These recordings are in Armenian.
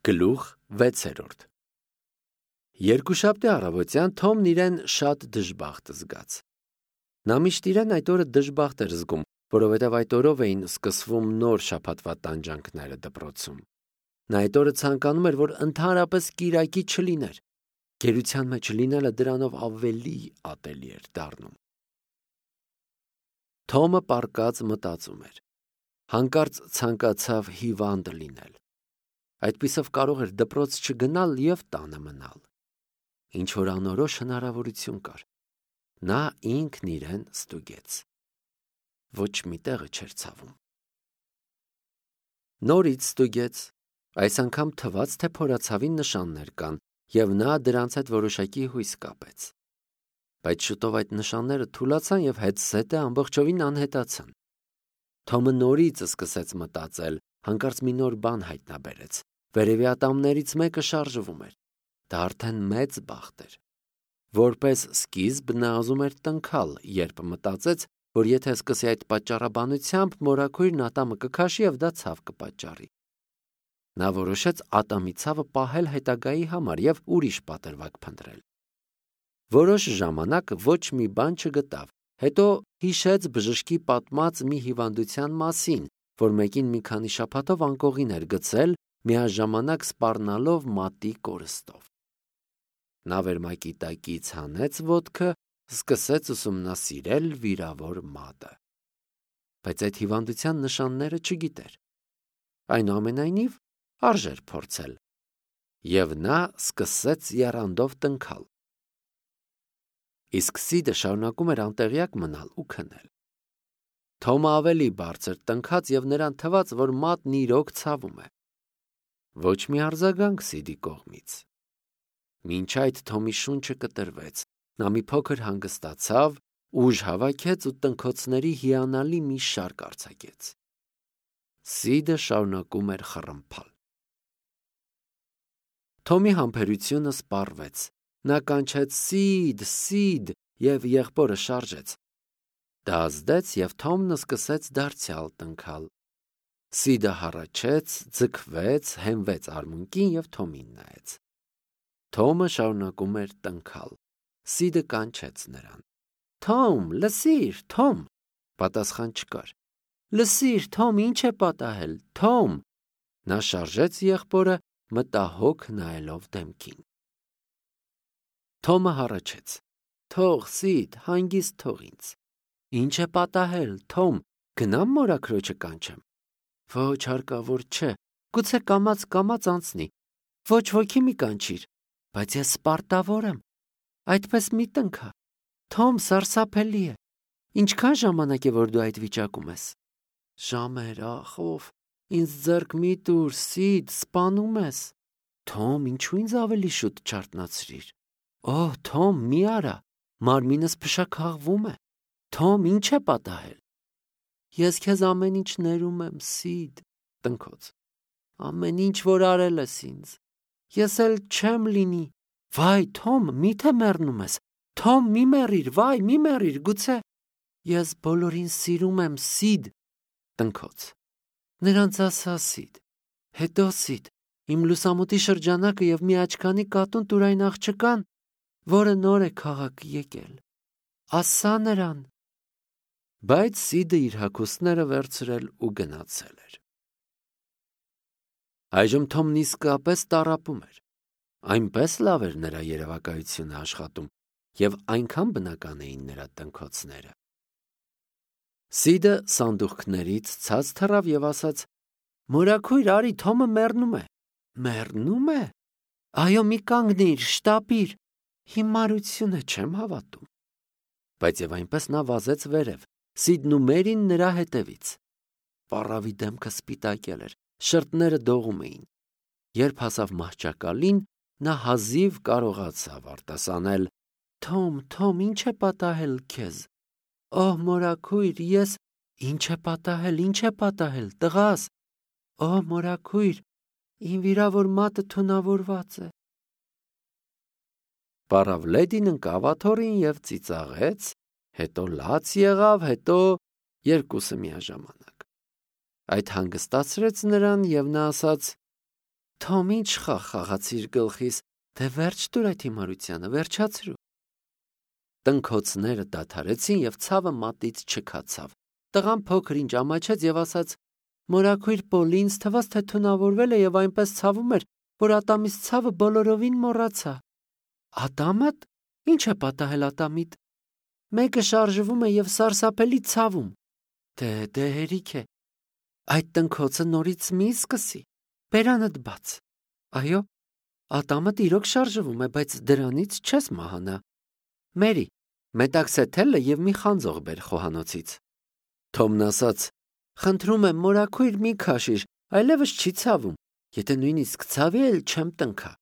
Գլուխ 6 Երկուշաբթի առավոտյան Թոմն իրեն շատ դժբախտ զգաց։ Նա միշտ իրեն այդ օրը դժբախտ էր զգում, որովհետև այդ օրով էին սկսվում նոր շաբաթվա տանջանքները դպրոցում։ Նա այդ օրը ցանկանում էր, որ ընդհանրապես կիրակի չլիներ։ Գերության մեջ լինելը դրանով ավելի ատելի էր դառնում։ Թոմը պառկած մտածում էր։ Հանկարծ ցանկացավ հիվանդ լինել։ Այդպիսով կարող էր դպրոց չգնալ և տանը մնալ։ Ինչ-որ անորոշ հնարավորություն կար։ Նա ինքն իրեն ստուգեց։ Ոչ մի տեղը չէր ցավում։ Նորից ստուգեց։ Այս անգամ թվաց, թե փորացավի նշաններ կան, և նա դրանց հետ որոշակի հույս կապեց։ Բայց շուտով այդ նշանները թուլացան և հետզհետե ամբողջովին անհետացան։ Թոմը նորից սկսեց մտածել, հանկարծ մի նոր բան հայտնաբերեց։ Վերևի ատամներից մեկը շարժվում էր։ Դա արդեն մեծ բախտ էր։ Որպես սկիզբ նա ուզում էր տնքալ, երբ մտածեց, որ եթե սկսի այդ պատճառաբանությամբ, մորաքույրն ատամը կքաշի և դա ցավ կպատճառի։ Նա որոշեց ատամի ցավը պահել հետագայի համար և ուրիշ պատրվակ փնտրել։ Որոշ ժամանակ ոչ մի բան չգտավ, հետո հիշեց բժշկի պատմած մի հիվանդության մասին, որ մեկին մի քանի շաբաթով անկողին էր գցել, միաժամանակ սպառնալով մատի կորստով։ Նա վերմակի տակից հանեց ոտքը, սկսեց ուսումնասիրել վիրավոր մատը։ Բայց այդ հիվանդության նշանները չգիտեր։ Այնուամենայնիվ, արժեր փորձել։ Եվ նա սկսեց եռանդով տնքալ։ Իսկ Սիդը շարունակում էր անտեղյակ մնալ ու քնել։ Թոմը ավելի բարձր տնքաց և նրան թվաց, որ մատն իրոք ցավում է։ Ոչ մի արձագանք Սիդի կողմից։ Մինչ այդ Թոմի շունչը կտրվեց, նա մի փոքր հանգստացավ, ուժ հավաքեց ու տնքոցների հիանալի մի շարք արձակեց։ Սիդը շարունակում էր խռմփալ։ Թոմի համբերությունը սպառվեց։ Նա կանչեց «Սիդ, Սիդ» և եղբորը շարժեց։ Դա ազդեց, և Թոմն սկսեց դարձյալ տնքալ։ Սիդը հառաչեց, ձգվեց, հենվեց արմունկին և Թոմին նայեց։ Թոմը շարունակում էր տնքալ։ Սիդը կանչեց նրան։ «Թոմ, լսիր, Թոմ»։ Պատասխան չկար։ «Լսիր, Թոմ, ինչ է պատահել, Թոմ»։ Նա շարժեց եղբորը, մտահոգ նայելով դեմքին։ Թոմը հառաչեց. «Թող, Սիդ, հանգիստ թող ինձ»։ «Ինչ է պատահել, Թոմ, գնամ մորաքրոջը կանչեմ»։ «Ոչ, հարկավոր չէ, գուցե կամաց անցնի։ Ոչ, ոքի մի կանչիր, բայց ես սպարտավոր եմ, այդպես մի տնքա։ Թոմ, սարսափելի է։ Ինչքան ժամանակ է, որ դու այդ վիճակում ես»։ «Ժամեր, ախ, ով, ինձ ձեռք մի տուր, Սիդ, սպանում ես»։ «Թոմ, ինչու ինձ ավելի շուտ չարթնացրիր»։ «Օհ, Թոմ, մի արա, մարմինս փշաքաղվում է»։ «Թոմ, ինչ է պատահել»։ «Ես քեզ ամեն ինչ ներում եմ, Սիդ»։ Տնքոց. «Ամեն ինչ, որ արել ես ինձ, ես էլ չեմ լինի»։ «Վայ, Թոմ, մի՞թե մեռնում ես։ Թոմ, մի մեռիր, վայ, մի մեռիր, գուցե»։ «Ես բոլորին սիրում եմ, Սիդ»։ Տնքոց. «Նրանց ասա, Սիդ։ Հետո, Սիդ, իմ լուսամուտի շրջանակը և մի աչքանի կատուն տուր այն աղջկան, որը նոր է քաղաք եկել։ Ասա նրան»։ Բայց Սիդը իր հագուստները վերցրել ու գնացել էր։ Այժմ Թոմն իսկապես տառապում էր։ Այնպես լավ էր նրա երևակայությունը աշխատում, և այնքան բնական էին նրա տնքոցները։ Սիդը սանդուղքներից ցած թռավ և ասաց. «Մորաքույր, արի, Թոմը մեռնում է»։ «Մեռնում է»։ «Այո, մի կանգնիր, շտապիր»։ «Հիմարություն է, չեմ հավատում»։ Բայց և այնպես նա վազեց վերև, Սիդն ու Մերին նրա հետևից։ Պառավի դեմքը սպիտակել էր, շրթները դողում էին։ Երբ հասավ մահճակալին, նա հազիվ կարողացավ արտասանել. «Թոմ, Թոմ, ինչ է պատահել քեզ»։ «Օհ, մորաքույր, ես»։ «Ինչ է պատահել, տղաս»։ «Օհ, մորաքույր, իմ վիրավոր մատը թունավորված է»։ Պառավ լեդին ընկավ աթոռին և ծիծաղեց, հետո լաց եղավ, հետո երկուսը միաժամանակ։ Այդ հանգստացրեց նրան, և նա ասաց. Թոմ, ինչ խաղացիր գլխիս, դե վերջ տուր այդ հիմարությանը, վերջացրու։ Տնքոցները դադարեցին և ցավը մատից չքացավ։ Տղան փոքր ինչ ամաչեց և ասաց. «Մորաքույր Պոլի, ինձ թվաց, թե թունավորվել է և այնպես ցավում էր, որ ատամից ցավը բոլորովին մոռացա»։ Ատամդ։ Ինչ է պատահել ատամիդ։ Մեկը շարժվում է և սարսափելի ցավում։ Դե հերիք է։ Այդ տնքոցը նորից մի սկսի։ Բերանդ բաց։ Այո, ատամդ իրոք շարժվում է, բայց դրանից չես մահանա։ Մերի, մետաքսեթելը և մի խանձող բեր խոհանոցից։ Թոմն ասաց. «Խնդրում եմ, մորաքույր մի քաշիր, այլևս չի ցավում։ Եթե նույնիսկ ցավի էլ չեմ տնքա։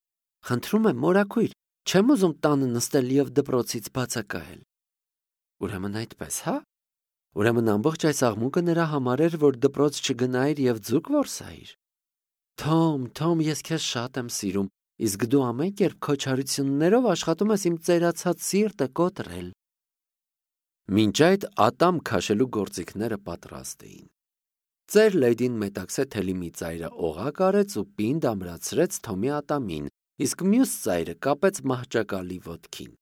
Խնդրում եմ, մորաքույր, չեմ ուզում տանը նստել և դպրոցից բացակայել»։ Ուրեմն այդպես, հա՞։ Ուրեմն ամբողջ այս աղմուկը նրա համար էր, որ դպրոց չգնայիր և ձուկ որսայիր։ Թոմ, ես քեզ շատ եմ սիրում, իսկ դու ամեն կերպ քո չարություններով աշխատում ես իմ ծերացած սիրտը կոտրել։ Մինչ այդ ատամ քաշելու գործիքները պատրաստ էին։ Ծեր լեդին մետաքսեթելի մի ծայրը օղակ արեց ու պինդ ամրացրեց Թոմի ատամին, իսկ մյուս ծայրը կապեց մահճակալի ոտքին։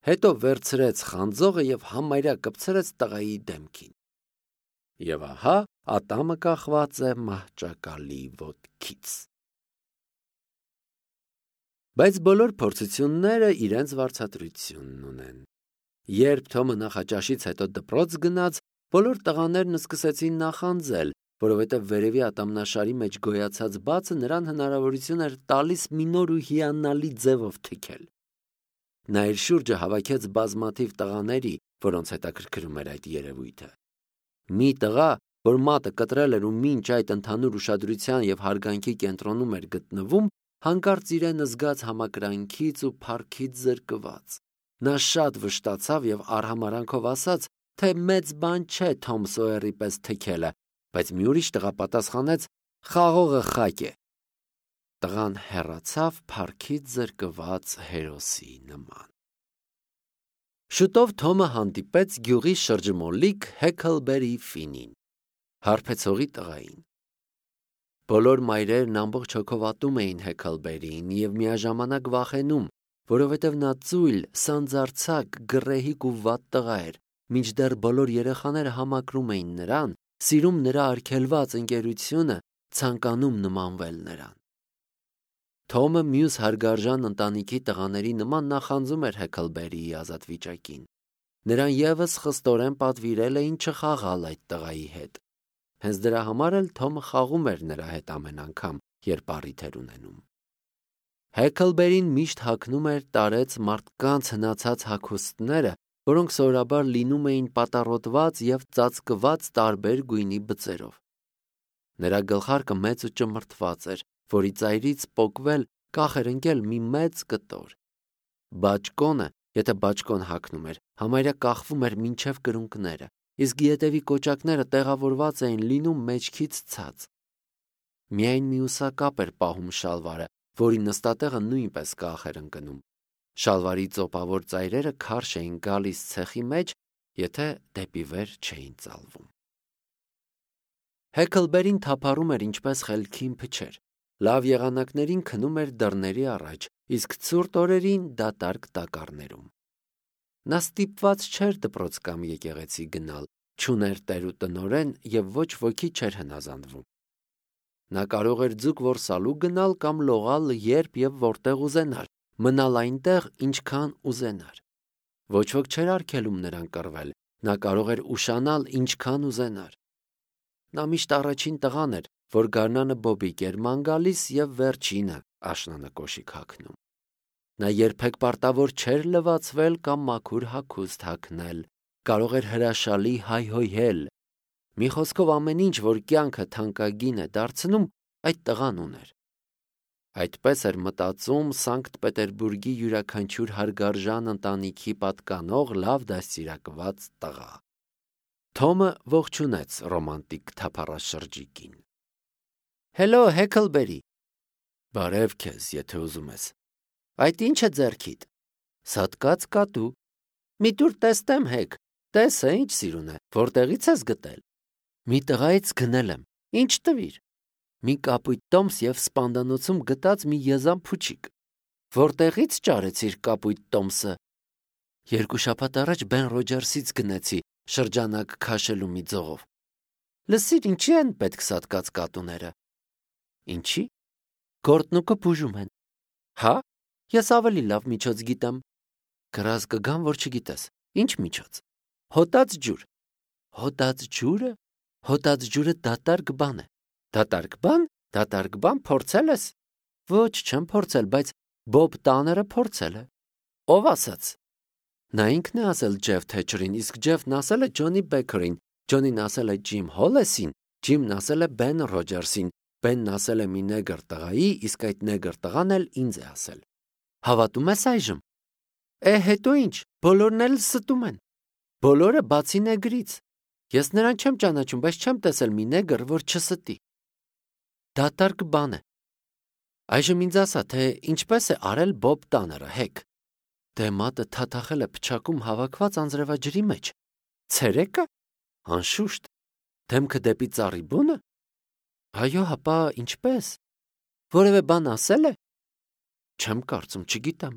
Հետո վերցրեց խանձողը և համարյա կպցրեց տղայի դեմքին։ Եվ ահա ատամը կախված է մահճակալի ոտքից։ Բայց բոլոր փորձությունները իրենց վարձատրությունն ունեն։ Երբ Թոմը նախաճաշից հետո դպրոց գնաց, բոլոր տղաներն սկսեցին նախանձել, որովհետև վերևի ատամնաշարի մեջ գոյացած բացը նրան հնարավորություն էր տալիս մի նոր ու հիանալի ձևով թքել։ Նա իր շուրջը հավաքեց բազմաթիվ տղաների, որոնց հետաքրքրում էր այդ երևույթը։ Մի տղա, որ մատը կտրել էր ու մինչ այդ ընդհանուր ուշադրության և հարգանքի կենտրոնում էր գտնվում, հանկարծ իրեն զգաց համակրանքից ու փառքից զրկված։ Նա շատ վշտացավ և արհամարհանքով ասաց, թե մեծ բան չէ Թոմ Սոյերի պես թքելը, բայց մի ուրիշ տղա պատասխանեց. «Խաղողը խաք է»։ Տղան հեռացավ փառքից զրկված հերոսի նման։ Շուտով Թոմը հանդիպեց գյուղի շրջմոլիկ Հեքլբերի Ֆինին, հարբեցողի տղային։ Բոլոր մայրերն ամբողջ հոգով ատում էին Հեքլբերիին և միաժամանակ վախենում, որովհետև նա ծույլ, սանձարձակ, գռեհիկ ու վատ տղա էր, մինչդեռ բոլոր երեխաները համակրում էին նրան, սիրում նրա արգելված ընկերությունը, ցանկանում նմանվել նրան։ Թոմը մյուս հարգարժան ընտանիքի տղաների նման նախանձում էր Հեքլբերիի ազատ վիճակին։ Նրան ևս խստորեն պատվիրել էին չխաղալ այդ տղայի հետ։ Հենց դրա համար էլ Թոմը խաղում էր նրա հետ ամեն անգամ, երբ առիթ էր ունենում։ Հեքլբերին միշտ հագնում էր տարեց մարդկանց հնացած հագուստները, որոնք սովորաբար լինում էին պատառոտված և ծածկված տարբեր գույնի բծերով։ Նրա գլխարկը մեծ ու ճմրթված էր, որի ծայրից պոկվել կախ էր ընկել մի մեծ կտոր։ Բաճկոնը, եթե բաճկոն հագնում էր, համարյա կախվում էր մինչև կրունկները, իսկ ետևի կոճակները տեղավորված էին լինում մեջքից ցած։ Միայն մի ուսակապ էր պահում շալվարը, որի նստատեղը նույնպես կախ էր ընկնում։ Շալվարի ծոպավոր ծայրերը քարշ էին գալիս ցեխի մեջ, եթե դեպի վեր չէին ծալվում։ Հեքլբերին թափառում էր ինչպես խելքին փչեր։ Լավ եղանակներին քնում էր դռների առաջ, իսկ ցուրտ օրերին դատարկ տակառներում։ Նա ստիպված չէր դպրոց կամ եկեղեցի գնալ, չուներ տեր ու տնօրեն և ոչ ոքի չէր հնազանդվում։ Նա կարող էր ձուկ որսալու գնալ կամ լողալ երբ և որտեղ ուզենար, մնալ այնտեղ, ինչքան ուզենար։ Ոչ ոք չէր արգելում նրան կռվել, նա կարող էր ուշանալ ինչքան ուզենար։ Նա միշտ առաջին տղան էր, որ գարնանը բոբիկ էր ման գալիս և վերջինը աշնանը կոշիկ հագնում։ Նա երբեք պարտավոր չէր լվացվել կամ մաքուր հագուստ հագնել, կարող էր հրաշալի հայհոյել։ Մի խոսքով ամեն ինչ, որ կյանքը թանկագին է դարձնում, այդ տղան ուներ։ Այդպես էր մտածում Սանկտ Պետերբուրգի յուրաքանչյուր հարգարժան ընտանիքի պատկանող լավ դաստիարակված տղա։ Թոմը ողջունեց ռոմանտիկ թափառաշրջիկին։ Հելո, Հեքլբերի։ Բարև քեզ, եթե ուզում ես։ Այդ ի՞նչ է ձեռքիդ։ Սատկած կատու։ Մի տուր տեսնեմ, Հեք, տեսը ինչ սիրուն է, որտեղից ես գտել։ Մի տղայից գնել եմ, ինչ տվիր։ մի կապույտ տոմս եւ սպանդանոցում գտած մի եզան փուչիկ։ Որտեղից ճարեցիր կապույտ տոմսը։ 2 շաբաթ առաջ Բեն Ռոջերսից գնեցի շրջանակ քաշելու մի ձողով։ Լսիր, ինչի են պետք սատկած կատուները։ Ինչի։ Գորտնուկը բուժում են։ Հա, ես ավելի լավ միջոց գիտեմ։ Գրած կգամ, որ չգիտես։ Ինչ միջոց։ Հոտած ջուր։ Հոտած ջուրը։ Հոտած ջուրը դատարկ բան է։ Դատարկ բան։ Դատարկ բան փորձել ես։ Ոչ, չեմ փորձել, բայց Բոբ Տաները փորձել է։ Ով ասաց։ Նա ինքն է ասել Ջեֆ Թեչերին, իսկ Ջեֆն ասել է Ջոնի Բեքերին, Ջոնին ասել է Ջիմ Հոլեսին, Ջիմն ասել է Բեն Ռոջերսին, Բենն ասել է մի նեգր տղայի, իսկ այդ նեգր տղան էլ ինձ է ասել։ Հավատում ես այժմ։ Հետո ինչ, բոլորն էլ ստում են։ Բոլորը բացի նեգրից։ Ես նրան չեմ ճանաչում, բայց չեմ տեսել մի նեգր, որ չստի։ Դատարկ բան է։ Այժմ ինձ ասա, թե ինչպես է արել Բոբ Տաները, հեկ։ Դե մատը թաթախել է փչակում հավաքված անձրևաջրի մեջ։ Ցերեկը։ Անշուշտ։ Դեմքը դեպի ծառի բունը։ Այո, հապա ինչպես։ Որևէ բան ասել է։ Չեմ կարծում, չգիտեմ։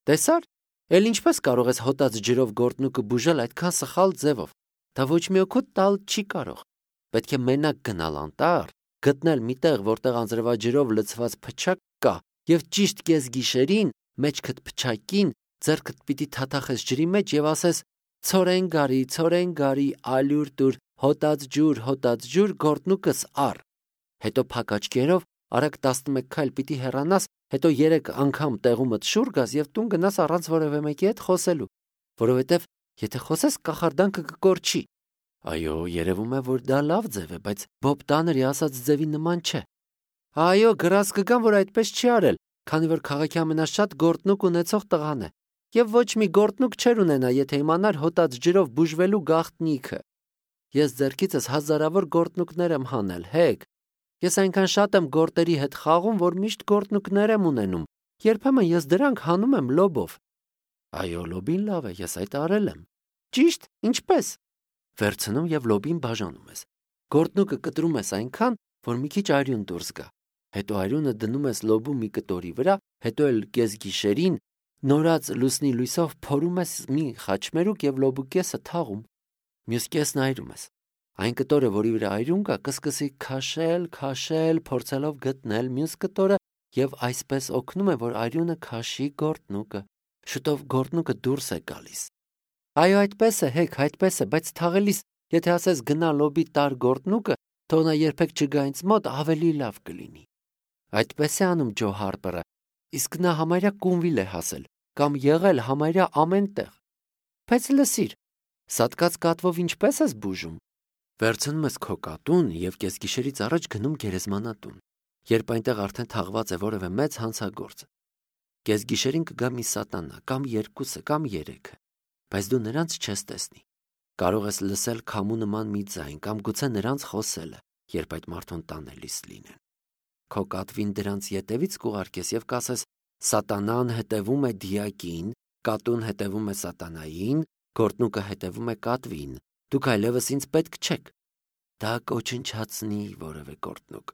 Տեսար, էլ ինչպես կարող ես հոտած ջրով գորտնուկը բուժել այդքան սխալ ձևով։ Դա ոչ մի օգուտ տալ չի կարող։ Պետք է մենակ գնալ անտառ, գտնել մի տեղ, որտեղ անձրևաջրով լցված փչակ կա, եւ ճիշտ կեսգիշերին մեջքդ փչակին ձեռքդ պիտի թաթախես ջրի մեջ եւ ասես. Ցորեն գարի, ալյուր տուր, հոտած ջուր, գորտնուկս առ։ Հետո փակ աչքերով արագ 11 քայլ պիտի հեռանաս, հետո 3 անգամ տեղումդ շուռ գաս եւ տուն գնաս առանց որևէ մեկի հետ խոսելու, որովհետեւ եթե խոսես կախարդանքը կկորչի։ Այո, երևում է, որ դա լավ ձև է, բայց Բոբ Տաների ասած ձևի նման չէ։ Այո, գրած կգամ, որ այդպես չի արել, քանի որ քաղաքի ամենաշատ գորտնուկ ունեցող տղան է, եւ ոչ մի գորտնուկ չեր ունենա, եթե իմանար հոտած ջրով բուժվելու գաղտնիքը։ Ես ձեռքիցս հազարավոր գորտնուկներ եմ հանել, հեկ։ Ես այնքան շատ եմ գորտերի հետ խաղում, որ միշտ գորտնուկներ եմ ունենում։ Երբեմն ես դրանք հանում եմ լոբով։ Այո, լոբին լավ է, ես այդ արել եմ։ Ճիշտ, ինչպես։ Վերցնում եւ լոբին բաժանում ես։ Գորտնուկը կտրում ես այնքան, որ մի քիչ արյուն դուրս գա։ Հետո արյունը դնում ես լոբու մի կտորի վրա, հետո էլ կեսգիշերին նորած լուսնի լույսով փորում ես մի խաչմերուկ եւ լոբու կեսը թաղում։ Մյուս կեսն այրում ես։ Այն կտորը, որի վրա այրուն կա, կսկսի քաշել, փորձելով գտնել մյուս կտորը եւ այսպես օգնում է, որ այրունը քաշի գորտնուկը։ Շուտով գորտնուկը դուրս է գալիս։ Այո, այդպես է, հեկ, այդպես է, բայց թաղելիս, եթե ասես գնա լոբի տար գորտնուկը, թող նա երբեք չգա ինձ մոտ, ավելի լավ կլինի։ Այդպես է անում Ջո Հարպերը, իսկ նա համարյա Կունվիլ է հասել, կամ եղել համարյա ամեն տեղ։ Բայց լսիր, սատկած կատվով ինչպես ես բուժում։ Վերցնում ես քո կատուն եւ կեսգիշերից առաջ գնում գերեզմանատուն, երբ այնտեղ արդեն թաղված է որևէ մեծ հանցագործ։ Կեսգիշերին կգա մի սատանա, կամ 2-ը, կամ 3-ը, բայց դու նրանց չես տեսնի։ Կարող ես լսել քամու նման մի ձայն, կամ գուցե նրանց խոսելը, երբ այդ մարդուն տանելիս լինեն։ Քո կատվին դրանց ետևից կուղարկես եւ կասես. Սատանան հետևում է դիակին, կատուն հետևում է սատանային, գորտնուկը հետևում է կատվին։ Դուք այլևս ինձ պետք չեք։ Դա կոչնչացնի որևէ գորտնուկ։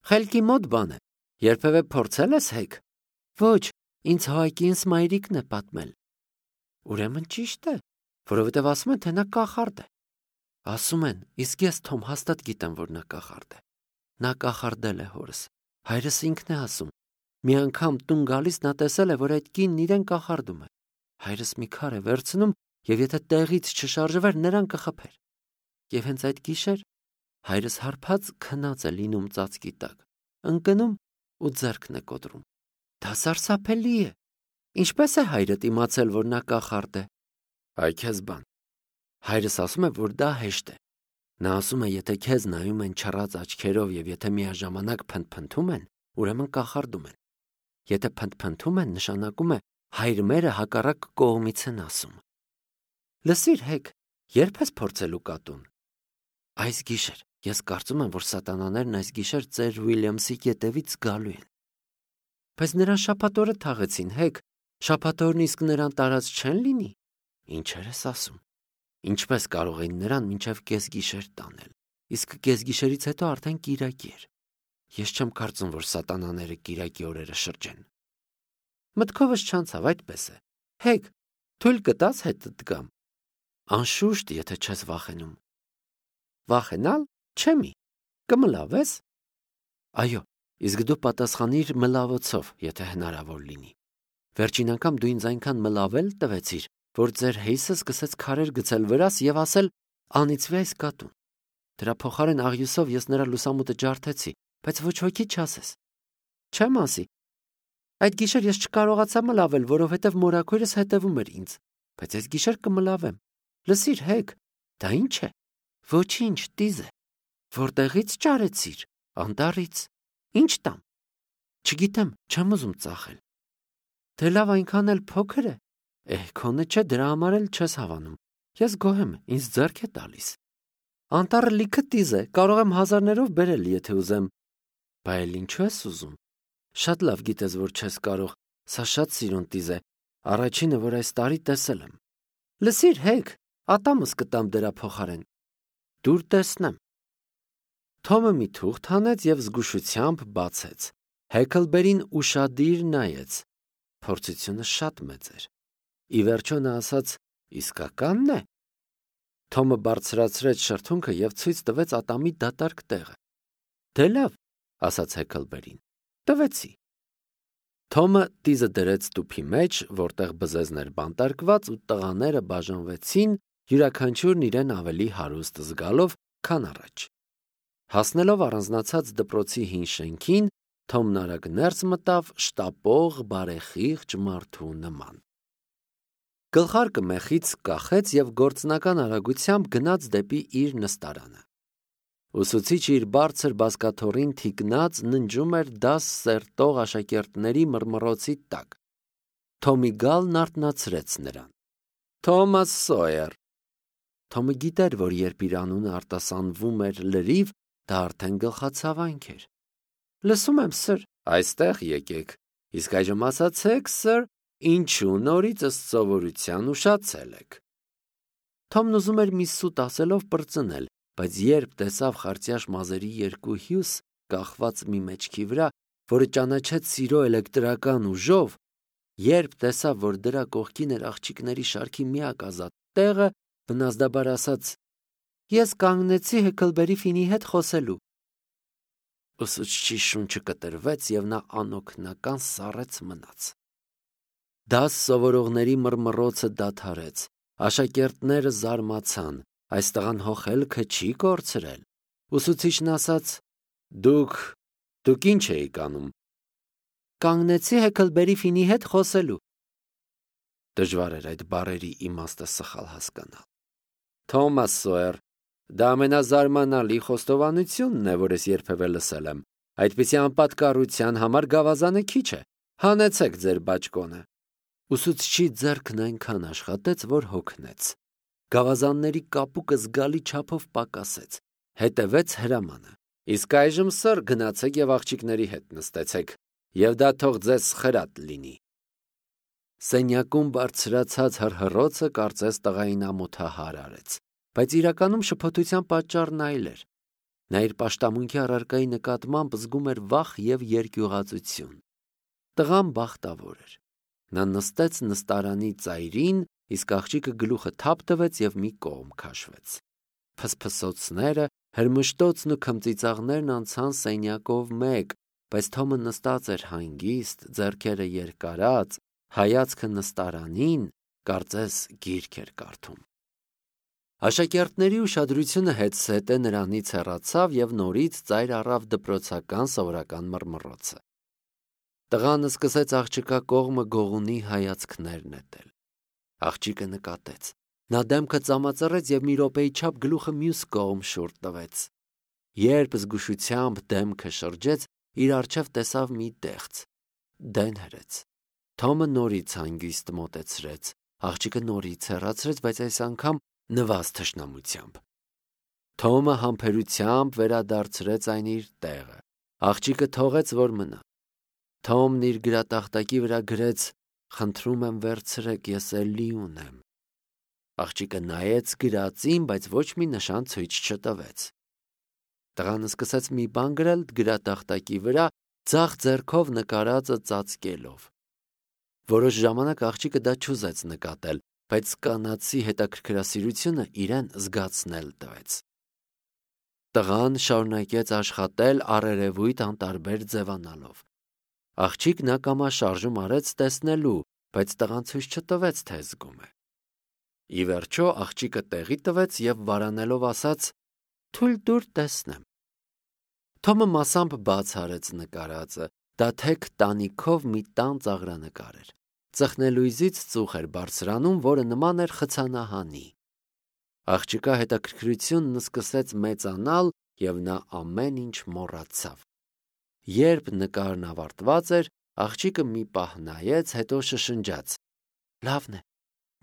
Խելքի մոտ բան է։ Երբևէ փորձել ես հեկ։ Ոչ, ինձ Հոակինս մայրիկն է պատմել։ Ուրեմն ճիշտ է, որովհետև ասում են, թե նա կախարդ է։ Ասում են, իսկ ես Թոմ հաստատ գիտեմ, որ նա կախարդ է։ Նա կախարդել է հորս։ Հայրս ինքն է ասում։ Մի անգամ տուն գալիս նա տեսել է, որ այդ կինն իրեն կախարդում է։ Հայրս մի քար է վերցնում եւ եթե տեղից չշարժվեր, նրան կխփեր։ Եվ հենց այդ գիշեր հայրս հարբած քնած է լինում ծածկի տակ, ընկնում ու ձեռքն է կոտրում։ Դա սարսափելի է։ Ինչպես է հայրդ իմացել, որ նա կախարդ է։ Այ քեզ բան։ Հայրս ասում է, որ դա հեշտ է։ Նա ասում է, եթե քեզ նայում են չռած աչքերով եւ եթե միաժամանակ փնթփնթում են, ուրեմն կախարդում են։ Եթե փնթփնթում են, նշանակում է հայր մերը հակառակ կողմից են ասում։ Լսիր, հեկ, երբ ես փորձելու կատուն։ Այս գիշեր ես կարծում եմ, որ սատանաներն այս գիշեր ծեր Ուիլյամսի ետևից գալու են։ Բայց նրան շաբաթօրը թաղեցին, հեկ, շաբաթօրն իսկ նրան տարած չեն լինի։ Ինչեր ես ասում։ Ինչպես կարող էին նրան մինչև կեսգիշեր տանել, իսկ կեսգիշերից հետո արդեն կիրակի էր։ Ես չեմ կարծում, որ սատանաները կիրակի օրերը շրջեն։ Մտքովս չանցավ, այդպես է։ Հեկ, թույլ կտաս հետդ գամ։ Անշուշտ, եթե չես վախենում։ Վախենալ, չեմի, կմլավես։ Այո, իսկ դու պատասխանիր մլավոցով, եթե հնարավոր լինի։ Վերջին անգամ դու ինձ այնքան մլավել տվեցիր, որ ձեր հեյսը սկսեց քարեր գցել վրաս եւ ասել անիծվի այս կատուն։ Դրա փոխարեն աղյուսով ես նրա լուսամուտը ջարդեցի, բայց ոչ ոքի չասես։ Չեմ ասի։ Այդ գիշեր ես չկարողացա մլավել, որովհետև մորաքույրս հետևում էր ինձ, բայց այս գիշեր կմլավեմ։ Լսիր, Հեկ, դա ինչ է։ Ոչինչ, տիզ է։ Որտեղից ճարեցիր, անտառից։ Ինչ տամ։ Չգիտեմ, չեմ ուզում ծախել։ Դե լավ, այնքան էլ փոքր է։ Քոնը չէ, դրա համար էլ չես հավանում։ Ես գոհ եմ, ինձ ձեռք է տալիս։ Անտառը լիքը տիզ է, կարող եմ հազարներով բերել, եթե ուզեմ։ Բա էլ ինչու ես ուզում։ Շատ լավ գիտես, որ չես կարող, սա շատ սիրուն տիզ է, առաջինը, որ այս տարի տեսել եմ։ Լսիր, Հեկ, ատամս կտամ դրա փոխարեն։ Դուր տեսնեմ։ Թոմը մի թուղթ հանեց և զգուշությամբ բացեց։ Հեքլբերին ուշադիր նայեց։ Փորձությունը շատ մեծ էր։ Ի վերջո նա ասաց. իսկակա՞նն է։ Թոմը բարձրացրեց շրթունքը և ցույց տվեց ատամի դատարկ տեղը։ Դե լավ, ասաց Հեքլբերին, տվեցի։ Թոմը տիզը դրեց տուփի մեջ, որտեղ բզեզներ բանտարկված ու տղաները բաժանվեցին, յուրաքանչյուրն իրեն ավելի հարուստ զգալով, քան առաջ։ Հասնելով առանձնացած դպրոցի հին շենքին, Թոմն արագ ներս մտավ շտապող բարեխիղճ մարդու նման։ Գլխարկը մեխից կախեց և գործնական արագությամբ գնաց դեպի իր նստարանը։ Ուսուցիչը իր բարձր բազկաթոռին թիկնած ննջում էր դաս սերտող աշակերտների մռմռոցի տակ։ Թոմի գալն արթնացրեց նրան։ Թոմաս Սոյեր։ Թոմը գիտեր, որ երբ իր անունը արտասանվում էր լրիվ, դա արդեն գլխացավանք էր։ Լսում եմ, սըր, այստեղ եկեք, իսկ այժմ ասացեք, սըր, ինչու նորից ըստ սովորության ուշացել եք։ Թոմն ուզում էր մի սուտ ասելով պրծնել, բայց երբ տեսավ խարծյաշ մազերի երկու հյուս կախված մի մեջքի վրա, որը ճանաչեց սիրո էլեկտրական ուժով, երբ տեսավ, որ դրա կողքին էր աղջիկների շարքի միակ ազատ տեղը, բնազդաբար ասաց. Ես կանգնեցի Հեքլբերի Ֆինի հետ խոսելու։ Ուսուցչի շունչը կտրվեց և նա անօգնական սառեց մնաց։ Դաս սովորողների մռմռոցը դադարեց, աշակերտները զարմացան, այս տղան հոխելքը չի կորցրել։ Ուսուցիչն ասաց. Դուք ինչ էիք անում։ Կանգնեցի Հեքլբերի Ֆինի հետ խոսելու։ Դժվար էր այդ բառերի իմաստը սխալ հասկանալ։ Թոմաս Սոյեր, դա ամենազարմանալի խոստովանությունն է, որ ես երբևէ լսել եմ։ Այդպիսի անպատկառության համար գավազանը քիչ է։ Հանեցեք ձեր բաճկոնը։ Ուսուցչի ձեռքն այնքան աշխատեց, որ հոգնեց։ Գավազանների կապուկը զգալի չափով պակասեց։ Հետևեց հրամանը։ Իսկ այժմ, սըր, գնացեք և աղջիկների հետ նստեցեք, և դա թող ձեզ խրատ լինի։ Սենյակում բարձրացած հռհռոցը կարծես տղային ամոթահար արեց, բայց իրականում շփոթության պատճառն այլ էր։ Նա իր պաշտամունքի առարկայի նկատմամբ զգում էր վախ և երկյուղածություն։ Տղան բախտավոր էր։ Նա նստեց նստարանի ծայրին, իսկ աղջիկը գլուխը թափ տվեց և մի կողմ քաշվեց։ Փսփսոցները, հրմշտոցն ու քմծիծաղներն անցան սենյակով մեկ, բայց Թոմը նստած էր հանգիստ, ձեռքերը երկարած, հայացքը նստարանին, կարծես գիրք էր կարդում։ Աշակերտների ուշադրությունը հետզհետե նրանից հեռացավ և նորից ծայր առավ դպրոցական սովորական մռմռոցը։ Տղան սկսեց աղջկա կողմը գողունի հայացքներ նետել։ Աղջիկը նկատեց։ Նա դեմքը ծամածռեց և մի րոպեի չափ գլուխը մյուս կողմ շուռ տվեց։ Երբ զգուշությամբ դեմքը շրջեց, իր առջև տեսավ մի տեղծ։ Դեն հրեց։ Թոմը նորից հանգիստ մոտեցրեց։ Աղջիկը նորից հեռացրեց, բայց այս անգամ նվազ թշնամությամբ։ Թոմը համբերությամբ վերադարձրեց այն իր տեղը։ Աղջիկը թողեց, որ մնա։ Թոմն իր գրատախտակի վրա գրեց. «Խնդրում եմ վերցրեք, ես էլի ունեմ»։ Աղջիկը նայեց գրածին, բայց ոչ մի նշան ցույց չտվեց։ Տղան սկսեց մի բան գրել գրատախտակի վրա, ձախ ձեռքով նկարածը ծածկելով։ Որոշ ժամանակ աղջիկը դա չուզեց նկատել, բայց կանացի հետաքրքրասիրությունը իրեն զգացնել տվեց։ Տղան շարունակեց աշխատել առերևույթ անտարբեր ձևանալով։ Աղջիկն ակամա շարժում արեց տեսնելու, բայց տղան ցույց չտվեց, թե զգում է։ Ի վերջո աղջիկը տեղի տվեց և վարանելով ասաց. «Թույլ տուր տեսնեմ»։ Թոմը մասամբ բաց արեց նկարածը, դա թեք տանիքով մի տան ծաղրանկար էր։ Ծխնելույզից ծուխ էր բարձրանում, որը նման էր խցանահանի։ Աղջկա հետաքրքրությունն սկսեց մեծանալ, և նա ամեն ինչ մոռացավ։ Երբ նկարն ավարտված էր, աղջիկը մի պահ նայեց, հետո շշնջաց. «Լավն է,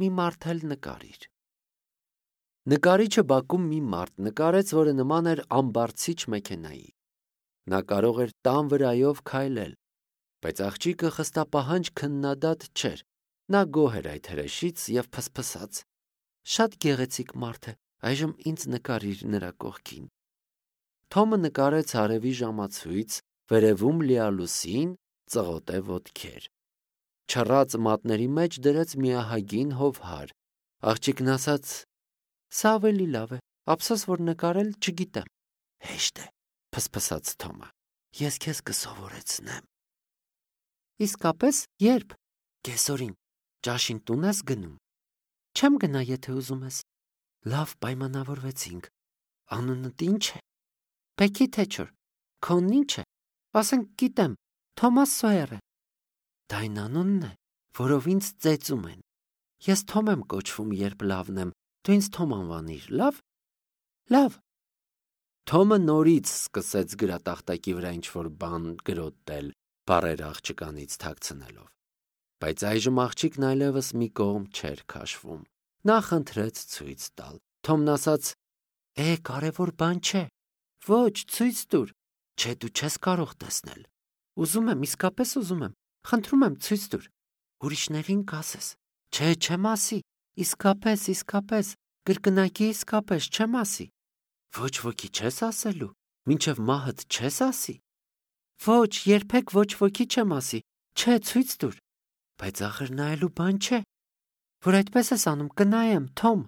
մի մարդ էլ նկարիր»։ Նկարիչը բակում մի մարդ նկարեց, որը նման էր ամբարձիչ մեքենայի։ Նա կարող էր տան վրայով քայլել, բայց աղջիկը խստապահանջ քննադատ չէր։ Նա գոհ էր այդ հրեշից և փսփսաց. «Շատ գեղեցիկ մարդ է, այժմ ինձ նկարիր նրա կողքին»։ Թոմը նկարեց արևի ժամացույց, վերևում լիալուսին, ծղոտե ոտքեր։ Չռած մատների մեջ դրեց մի ահագին հովհար։ Աղջիկն ասաց. «Սա ավելի լավ է, ափսոս, որ նկարել չգիտեմ»։ «Հեշտ է», փսփսաց Թոմը, «ես քեզ կսովորեցնեմ»։ «Իսկապես, ե՞րբ»։ «Կեսօրին։ Ճաշին տուն ես գնում»։ «Չեմ գնա, եթե ուզում ես»։ «Լավ, պայմանավորվեցինք։ Անունդ ի՞նչ է»։ «Բեքի Թեչեր»։ «Քոնն ի՞նչ է»։ «Ասենք, գիտեմ, Թոմաս Սոյերը»։ «Դա այն անունն է, որով ինձ ծեծում են։ Ես Թոմ եմ կոչվում, երբ լավն եմ, դու ինձ Թոմ անվանիր, լավ»։ «Լավ»։ Թոմը նորից սկսեց գրատախտակի վրա ինչ-որ բան գրոտել, բառերը աղջկանից թաքցնելով։ Բայց այժմ աղջիկն այլևս մի կողմ չէր քաշվում։ Նա խնդրեց ցույց տալ։ Թոմն ասաց. կարևոր բան չէ։ Ոչ, ցույց տուր։ Չէ, դու չես կարող տեսնել։ Ուզում եմ, իսկապես ուզում եմ։ Խնդրում եմ, ցույց տուր։ Ուրիշներին կասես։ Չէ, չեմ ասի։ Իսկապես, կրկնակի իսկապես, չեմ ասի։ Ոչ ոքի չես ասելու։ Մինչև մահդ չես ասի։ Ոչ, երբեք ոչ ոքի չեմ ասի։ Չէ, ցույց տուր։ Բայց ախր նայելու բան չէ։ Որ այդպես ես անում, կնայեմ, Թոմ։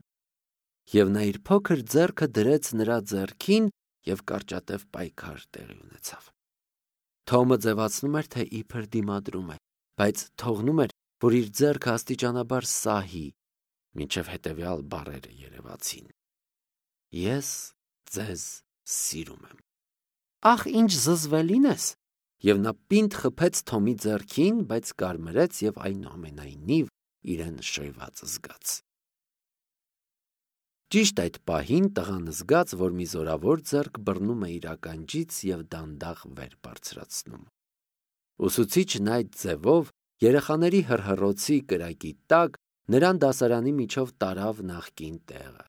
Եվ նա իր փոքր ձեռքը դրեց նրա ձեռքին, և կարճատև պայքար տեղի ունեցավ։ Թոմը ձևացնում էր, թե իբր դիմադրում է, բայց թողնում էր, որ իր ձեռքը աստիճանաբար սահի, մինչև հետևյալ բառերը երևացին. «Ես ձեզ սիրում եմ»։ Ախ, ինչ զզվելին ես։ Եվ նա պինդ խփեց Թոմի ձեռքին, բայց կարմրեց և այնուամենայնիվ իրեն շոյված զգաց։ Ճիշտ այդ պահին տղան զգաց, որ մի զորավոր ձեռք բռնում է իր ականջից և դանդաղ վեր բարձրացնում։ Ուսուցիչն այդ ձևով երեխաների հռհռոցի կրակի տակ նրան դասարանի միջով տարավ նախկին տեղը։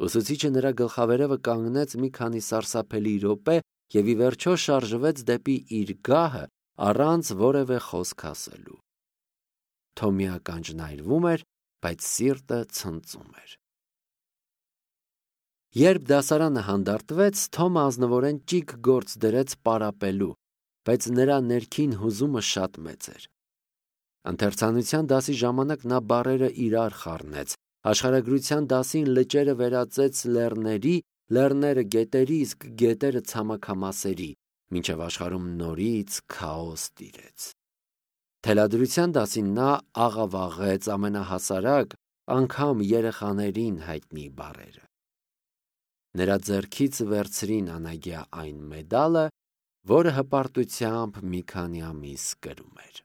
Ուսուցիչը նրա գլխավերևը կանգնեց մի քանի սարսափելի րոպե և ի վերջո շարժվեց դեպի իր գահը առանց որևէ խոսք ասելու։ Թոմի ականջն այրվում էր, բայց սիրտը ցնծում էր։ Երբ դասարանը հանդարտվեց, Թոմը ազնվորեն ճիգ գործ դրեց պարապելու, բայց նրա ներքին հուզումը շատ մեծ էր։ Ընթերցանության դասի ժամանակ նա բառերը իրար խառնեց, աշխարհագրության դասին լճերը վերածեց լեռների, լեռները գետերի, իսկ գետերը ցամաքամասերի, մինչև աշխարհում նորից քաոս տիրեց։ Թելադրության դասին նա աղավաղեց ամենահասարակ, անգամ երեխաներին հայտնի բառերը։ Նրա ձեռքից վերցրին անագյա այն մեդալը, որը հպարտությամբ մի քանի ամիս կրում էր։